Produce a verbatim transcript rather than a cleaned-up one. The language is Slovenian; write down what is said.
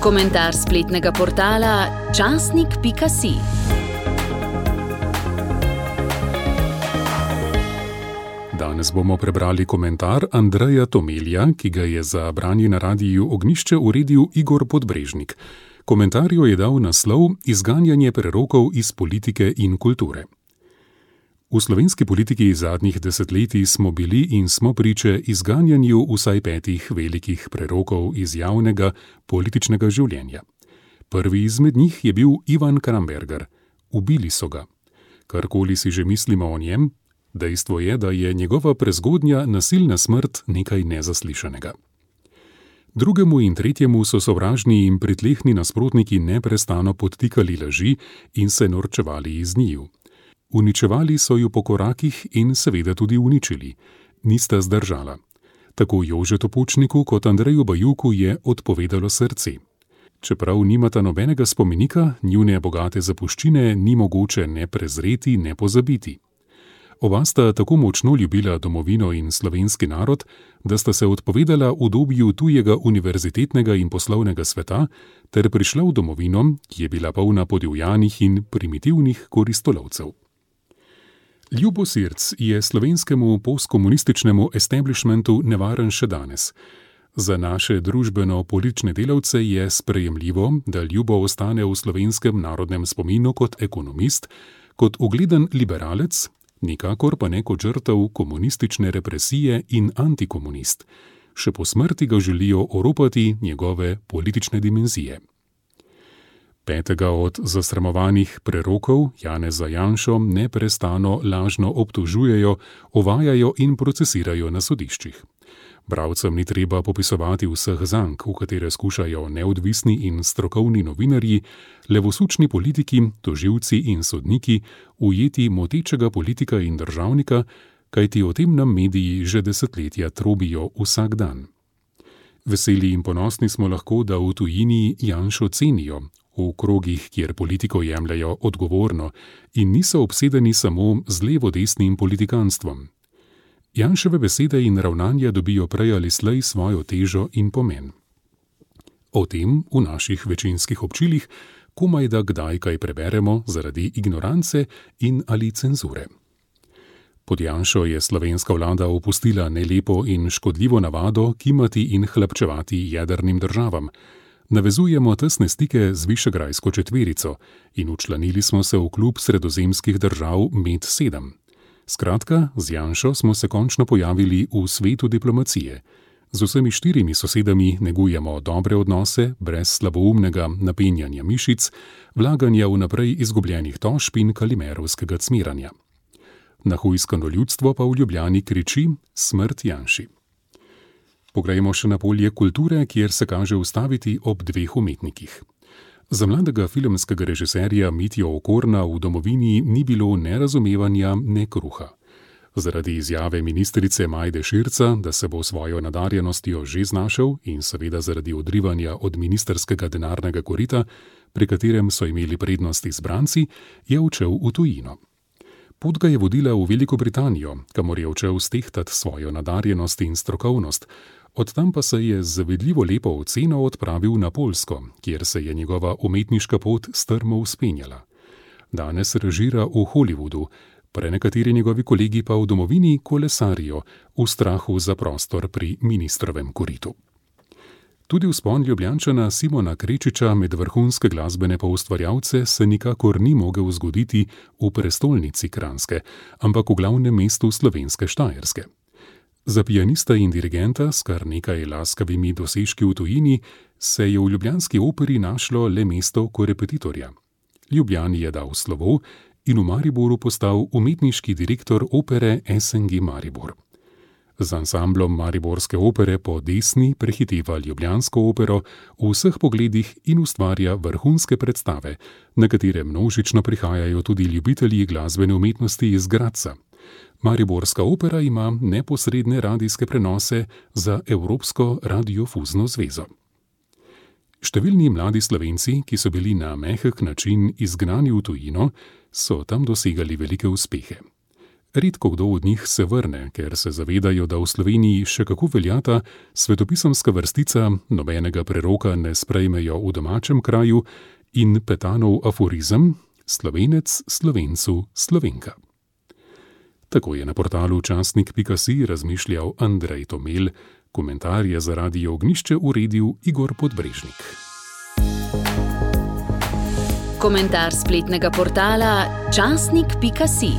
Komentar spletnega portala časnik pika si. Danes bomo prebrali komentar Andreja Tomelja, ki ga je za branje na Radiu Ognjišče uredil Igor Podbrežnik. Komentarju je dal naslov Izganjanje prerokov iz politike in kulture. V slovenski politiki zadnjih desetletij smo bili in smo priče izganjanju vsaj petih velikih prerokov iz javnega političnega življenja. Prvi izmed njih je bil Ivan Kramberger. Ubili so ga. Karkoli si že mislimo o njem, dejstvo je, da je njegova prezgodnja nasilna smrt nekaj nezaslišanega. Drugemu in tretjemu so sovražni in pritlehni nasprotniki neprestano podtikali laži in se norčevali iz njiju. Uničevali so ju po korakih in seveda tudi uničili. Nista zdržala. Tako Jožetu Pučniku kot Andreju Bajuku je odpovedalo srce. Čeprav nimata nobenega spomenika, njune bogate zapuščine ni mogoče ne prezreti, ne pozabiti. Oba sta tako močno ljubila domovino in slovenski narod, da sta se odpovedala udobju tujega univerzitetnega in poslovnega sveta ter prišla v domovino, ki je bila polna podivjanih in primitivnih koristolovcev. Ljubosrc je slovenskemu postkomunističnemu establishmentu nevaren še danes. Za naše družbeno-politične delavce je sprejemljivo, da Ljubo ostane v slovenskem narodnem spominu kot ekonomist, kot ugleden liberalec, nikakor pa ne kot žrtev komunistične represije in antikomunist. Še po smrti ga želijo oropati njegove politične dimenzije. Petega od zasramovanih prerokov, Janeza Janšo, neprestano lažno obtožujejo, ovajajo in procesirajo na sodiščih. Bralcem ni treba popisovati vseh zank, v katere skušajo neodvisni in strokovni novinarji, levosučni politiki, tožilci in sodniki ujeti motečega politika in državnika, kajti o tem nam mediji že desetletja trobijo vsak dan. Veseli in ponosni smo lahko, da v tujini Janšo cenijo, v krogih, kjer politiko jemljajo odgovorno in niso obsedeni samo z levo-desnim politikanstvom. Janševe besede in ravnanja dobijo prej ali slej svojo težo in pomen. O tem v naših večinskih občilih komaj da kdaj kaj preberemo zaradi ignorance in ali cenzure. Pod Janšo je slovenska vlada opustila nelepo in škodljivo navado kimati in hlapčevati jedrnim državam. Navezujemo tesne stike z Višegrajsko četverico in včlanili smo se v klub sredozemskih držav Med sedem. Skratka, z Janšo smo se končno pojavili v svetu diplomacije. Z vsemi štirimi sosedami negujemo dobre odnose, brez slaboumnega napenjanja mišic, vlaganja v naprej izgubljenih tožb in kalimerovskega cmiranja. Nahujskano ljudstvo pa v Ljubljani kriči smrt Janši. Poglejmo še na polje kulture, kjer se kaže ustaviti ob dveh umetnikih. Za mladega filmskega režiserja Mitjo Okorna v domovini ni bilo ne razumevanja, ne kruha. Zaradi izjave ministrice Majde Širca, da se bo svojo nadarjenostjo že znašel in seveda zaradi odrivanja od ministrskega denarnega korita, pri katerem so imeli prednost izbranci, je odšel v tujino. Pot ga je vodila v Veliko Britanijo, kamor je odšel stehtati svojo nadarjenost in strokovnost. Od tam pa se je z zavidljivo lepo oceno odpravil na Poljsko, kjer se je njegova umetniška pot strmo vzpenjala. Danes režira v Hollywoodu, prenekateri njegovi kolegi pa v domovini kolesarijo v strahu za prostor pri ministrovem koritu. Tudi vzpon Ljubljančana Simona Krečiča med vrhunske glasbene poustvarjalce se nikakor ni mogel zgoditi v prestolnici Kranjske, ampak v glavnem mestu slovenske Štajerske. Za pianista in dirigenta s kar nekaj laskavimi dosežki v tujini se je v ljubljanski operi našlo le mesto korepetitorja. Ljubljani je dal slovo in v Mariboru postal umetniški direktor opere S N G Maribor. Z ansamblom Mariborske opere po desni prehiteva ljubljansko opero v vseh pogledih in ustvarja vrhunske predstave, na katere množično prihajajo tudi ljubitelji glasbene umetnosti iz Gradca. Mariborska opera ima neposredne radijske prenose za Evropsko radiofuzno zvezo. Številni mladi Slovenci, ki so bili na mehek način izgnani v tujino, so tam dosegali velike uspehe. Redko kdo od njih se vrne, ker se zavedajo, da v Sloveniji še kako veljata svetopisemska vrstica nobenega preroka ne sprejmejo v domačem kraju in Petanov aforizem Slovenec Slovencu Slovenka. Tako je na portalu časnik pika si razmišljal Andrej Tomel, komentar je za Radio Ognjišče uredil Igor Podbrežnik. Komentar spletnega portala časnik pika si.